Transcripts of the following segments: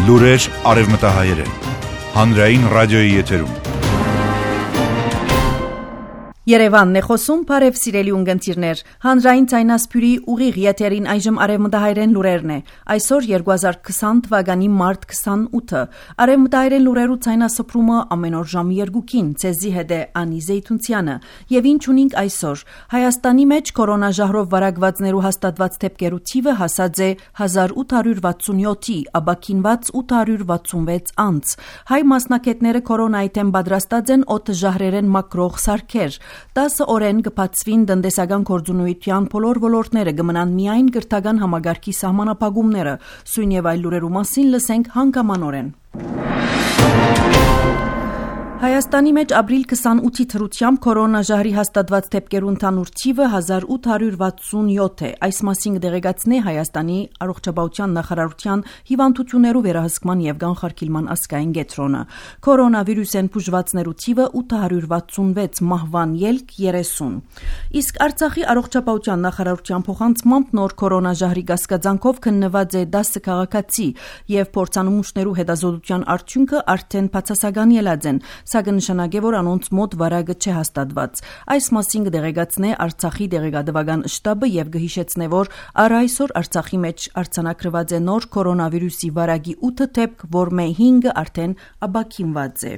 Լուրեր արևմտահայերեն։ Հանրային ռադիոյի եթերում։ Երևանն է խոսում, բարև սիրելի ունգընտիրներ, հանրային ցայնասփյուրի ուղիղ եթերին այժմ արևմտահայերեն լուրերն է, այսօր 2020 թվականի մարտ 28-ը, արևմտահայերեն լուրերու ցայնասփրումը ամեն օր ժամի 2-ին, ցեզի հետ է Անի Զեյթունցյանը, եւ ինչ ունենք այսօր, Հայաստանի մեջ կորոնաժահրով վարակվածներու հաստատված դեպքերու թիվը հասած է 1867-ի, աբակինված 866 անց, հայ մասնակետները կորոնայի դեմ պատրաստած են օդժահրերեն մակրող սարքեր, 10 օրեն կբացվին տնտեսական գործունեության բոլոր ոլորտները, կմնան միայն կրթական համագարքի սահմանափակումները, սույն եւ այլ լուրերու մասին լսենք հանգամանորեն։ Հայաստանի մեջ ապրիլ 28-ի թրությամբ կորոնաժահրի հաստատված դեպքերու ընդհանուր թիվը 1867 է, այս մասին կդեղեկացնի Հայաստանի առողջապահության նախարարության հիվանդություններու վերահսկման եւ կանխարգելման ազգային կենտրոնը։ Կորոնավիրուսեն բուժվածներու թիվը 866, մահվան ելք 30։ Իսկ Արցախի առողջապահության նախարարության փոխանցմամբ նոր կորոնաժահրի կասկածանքով քննված է 10 քաղաքացի եւ փորձանմուշներու հետազոտության արդյունքը արդեն բացասական ելած են, սակայն նշանակե, որ անոնց մոտ վարակը չէ հաստատված։ Այս մասին կդեղեկացնե Արցախի դեղեկատվական շտաբը եւ կհիշեցնե, որ առ այսօր Արցախի մեջ արձանագրված է նոր կորոնավիրուսի վարակի 8 դեպք, որ մե 5-ը արդեն աբակինված է։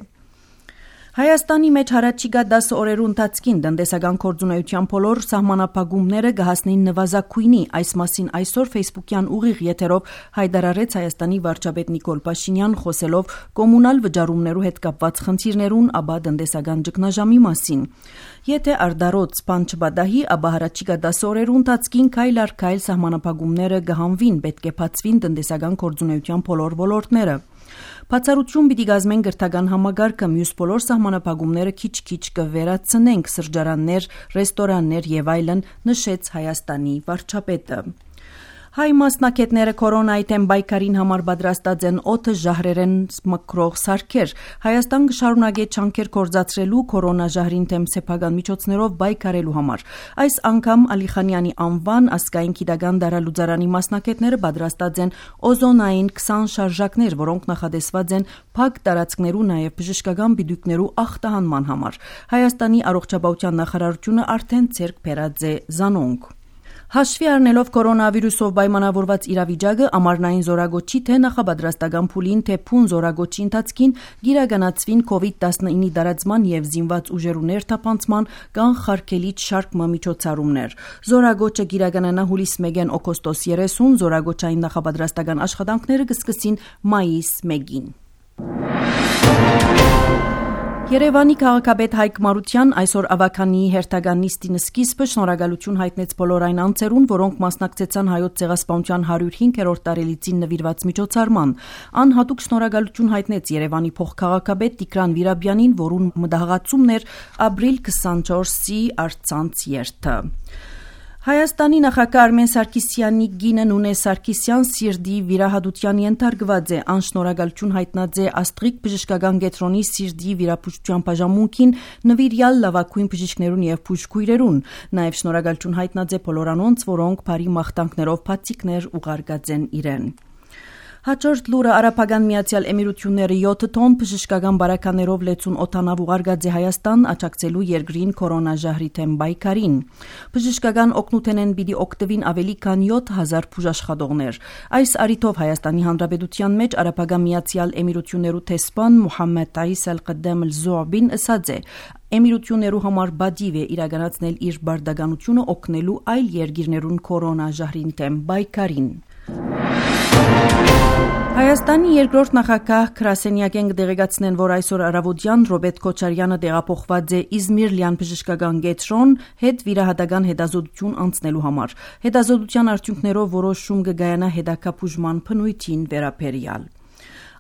Հայաստանի մեջ հարաճիգա 10 օրերու ընթացքին տնտեսական գործունեության բոլոր սահմանափակումները կհասնեն նվազագույնի, այս մասին այսօր Facebook-յան ուղիղ եթերով հայտարարեց Հայաստանի վարչապետ Նիկոլ Փաշինյան, խոսելով կոմունալ վճարումներու հետ կապված խնդիրներուն, ապա տնտեսական ճգնաժամի մասին։ Եթե արդարոց բան չպատահի, ապա հարաճիգա 10 օրերու ընթացքին քայլ առ քայլ սահմանափակումները կհանվին, պետք է բացվին տնտեսական գործունեության բոլոր ոլորտները։ Բացառություն պիտի կազմեն կրթական համագարկը, մյուս բոլոր սահմանափակումները քիչ-քիչ կվերացնենք, սրճարաններ, ռեստորաններ եւ այլն, նշեց Հայաստանի վարչապետը։ Հայ մասնակետները կորոնայի դեմ պայքարին համար պատրաստած են օդժահրերեն մկրող սարքեր։ Հայաստան կշարունակի ջանքեր կործացրելու կորոնաժահրին դեմ սեփական միջոցներով պայքարելու համար։ Այս անգամ Ալիխանյանի անվան ազգային գիտական դարալուծարանի մասնակետները պատրաստած են օզոնային 20 շարժակներ, որոնք նախադեсված են փակ տարածքներու, նաև բժշկական բիդուկներու ախտահանման համար։ Հայաստանի առողջապահության նախարարությունը արդեն ձեռք բերած է զանոնք։ Հաշվի առնելով կորոնավիրուսով պայմանավորված իրավիճակը, ամառնային զորագոչի թե նախապատրաստական փուլին, թե փուն զորագոչի ընթացքին կիրականացվին COVID-19-ի տարածման եւ զինված ուժերու ներթափանցման կանխարգելիչ շարք միջոցառումներ։ Զորագոչը կիրականանա հուլիս 1-ին օգոստոս 30, զորագոչային նախապատրաստական աշխատանքները կսկսին մայիս 1-ին։ Երևանի քաղաքապետ Հայկ Մարության այսօր ավականիի հերթական նիստին սկիզբը շնորհակալություն հայտնեց բոլոր այն անձերուն, որոնք մասնակցեցան հայոց ցեղասպանության 105-րդ տարելիցին նվիրված միջոցառման։ Ան հատուկ շնորհակալություն հայտնեց Երևանի փոխքաղաքապետ Տիգրան Վիրաբյանին, որուն մտահղացումն էր ապրիլ 24-ի առցանց երթը։ Հայաստանի նախագահ Արմեն Սարգսյանի գինը Նունե Սարգսյան սիրտի վիրահատության ենթարկված է, անշնորհակալություն հայտնած է Աստղիկ բժշկական կենտրոնի սիրտի վիրաբուժության բաժանմունքին նվիրյալ լավագույն բժիշկներուն եւ բուժքույրերուն, նաեւ շնորհակալություն հայտնած է բոլոր անոնց, որոնք բարի մաղթանքներով բացիկներ ուղարկած են իրեն։ Հաջորդ լուրը Արաբական Միացյալ Էմիրությունները 7 տոն բժշկական բարականերով լեցուն օդանավ ուղարկած է Հայաստան աջակցելու երկրին կորոնաժահրի դեմ պայքարին։ Բժշկական օգնութենեն պիտի օգտվին ավելի քան 7000 բուժաշխատողներ։ Այս առիթով Հայաստանի Հանրապետության մեջ Արաբական Միացյալ Էմիրություններու տեսփան Մուհամմեդ Տայիս Ալ-Կդամ Ալ-Զուաբին ասաց է. Էմիրություններու համար բադիվ է իրականացնել իր բարդականությունը օգնելու այլ երկիրներուն կորոնաժահրին դեմ պայքարին։ Հայաստանի երկրորդ նախագահ Քրասենյակեն կդեղեկացնեն, որ այսօր առավոտյան Ռոբերտ Քոչարյանը տեղափոխված է Իզմիր լյան բժշկական կենտրոն հետ վիրահատական հետազոտություն անցնելու համար։ Հետազոտության արդյունքներով որոշում կգայանա հետագա բուժման բնույթին վերաբերյալ։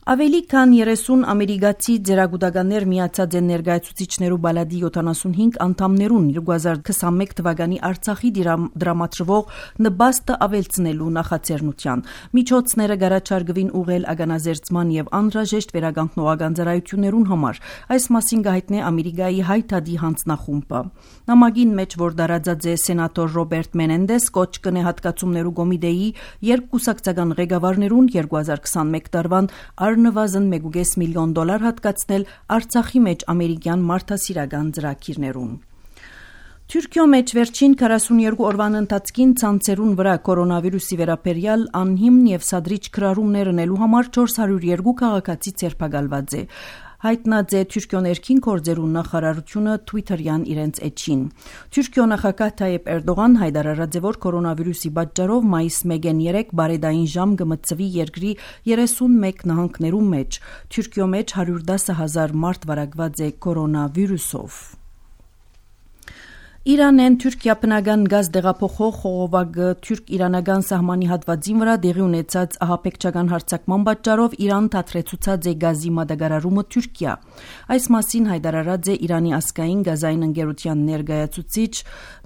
Ավելի քան 30 ամերիկացի ձեռագուտականներ միացած են ներկայացուցիչներու բալադի 75 անդամներուն 2021 թվականի Արցախի դրամատրվող նպաստը ավելցնելու նախաձեռնության։ Միջոցները գարաչարգվին ուղղել ագանազերծման եւ անհրաժեշտ վերականգնողական ծառայություններուն համար։ Այս մասին գահիտնե Ամերիկայի հայտարարի հանձնախումբը։ Նամակին մեջ, որ դարաձած է սենատոր Ռոբերտ Մենենդես, կոչ կնե հատկացումներու կոմիտեի երկկուսակցական ղեկավարներուն 2021 տարվան նվազն $1.5 միլիոն հատկացնել Արցախի մեջ ամերիկյան մարդասիրական ծրագիրներուն։ Թուրքիո մեջ վերջին 42 օրվան ընթացքին ցանցերուն վրա կորոնավիրուսի վերաբերյալ անհիմն եւ սադրիչ քրարումներ ունելու համար 402 քաղաքացի ցերպակալված է։ Հայտնած է Թուրքիո ներքին գործերու նախարարությունը Twitter-յան իրենց էջին։ Թուրքիո նախագահ Թայիպ Էրդողան հայտարարած է, որ կորոնավիրուսի պատճառով մայիս 1-ին 3 բարեդային ժամ կմտցվի երկրի 31 նահանգներու մեջ։ Թուրքիո մեջ 110,000 մարդ վարակված է կորոնավիրուսով։ Իրանեն Թուրքիա բնական գազ դեղափոխող խողովակը թուրք-իրանական սահմանի հատվածին վրա դեղի ունեցած ահաբեկչական հարձակման պատճառով Իրան դադրեցուցած է գազի մատակարարումը Թուրքիա։ Այս մասին հայտարարած է Իրանի ազգային գազային ընկերության ներկայացուցիչ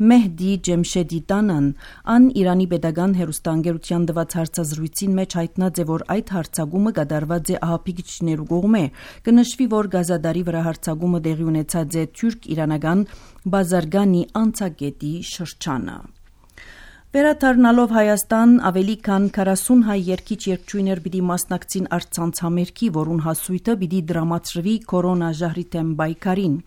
Մեհդի Ջեմշեդի Տանան։ Ան Իրանի պետական հեռուստաընկերության տված հարցազրույցին մեջ հայտնած է, որ այդ հարձակումը կատարված է ահաբեկիչներու կողմէ։ Կնշվի, որ գազադարի վրա հարձակումը տեղի ունեցած է թուրք-իրանական Բազարգանի անցագետի շրջանը։ Վերադառնալով Հայաստան, ավելի քան 40 հայ երգիչ-երգչուհիներ պիտի մասնակցին առցանց համերգի, որուն հասույթը պիտի դրամատրվի կորոնաժահրի դեմ պայքարին։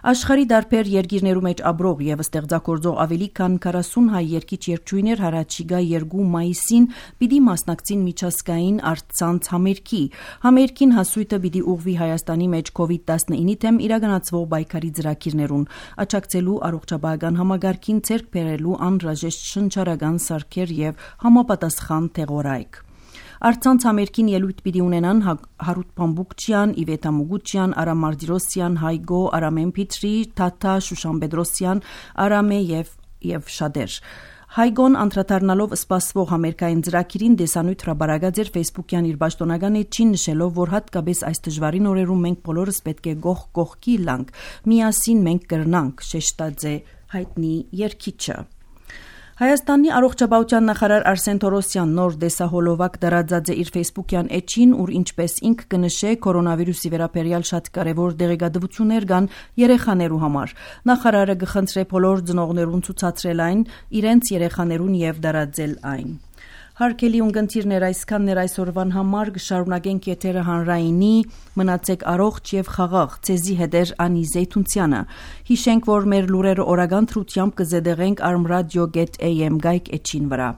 Աշխարհի դարբեր երկիրներու մեջ ապրող եւ ստեղծագործող ավելի քան 40 հայ երգիչ-երգչուհիներ հառաջիկա 2 մայիսին պիտի մասնակցին միջազգային առցանց համերգի։ Համերգին հասույթը պիտի ուղղվի Հայաստանի մեջ COVID-19-ի դեմ իրականացվող պայքարի ծրագիրներուն, աջակցելու առողջապահական համագարկին ձեռք բերելու անհրաժեշտ շնչառական սարքեր եւ համապատասխան թեղորայք։ Առցանց համերգին ելույթ պիտի ունենան Հարութ Փամբուկչյան, Իվետա Մուգուչյան, Արամ Մարտիրոսյան, Հայգո, Արամեն Փիտրի, Թաթա, Շուշան Պետրոսյան, Արամե եւ շատեր։ Հայգոն անդրադառնալով սպասվող համերգային ծրագիրին դեսանույթ հրապարակած էր Facebook-յան իր պաշտոնական էջին, նշելով, որ հատկապես այս դժվարին օրերում մենք բոլորս պետք է գող կողքի լանք, միասին մենք կրնանք, շեշտած է հայտնի երգիչը։ Հայաստանի առողջապահության նախարար Արսեն Թորոսյան նոր դեսահոլովակ դարաձած է իր Facebook-յան էջին, ուր ինչպես ինք կնշե կորոնավիրուսի վերաբերյալ շատ կարևոր դեղեկատվություններ կան երեխաներու համար։ Նախարարը կխնդրե բոլոր ծնողներուն ցուցադրել այն իրենց երեխաներուն եւ դարաձել այն։ Հարկելի ունգընտիրներ, այսքաններ այսօրվան համար կշարունակենք եթերը հանրայինի, մնացեք առողջ եւ խաղաղ, ցեզի հետեր Անի Զեյթունցյանը։ Հիշենք, որ մեր լուրերը օրական թրությամբ կզետեղենք armradio.am գայք էջին վրա։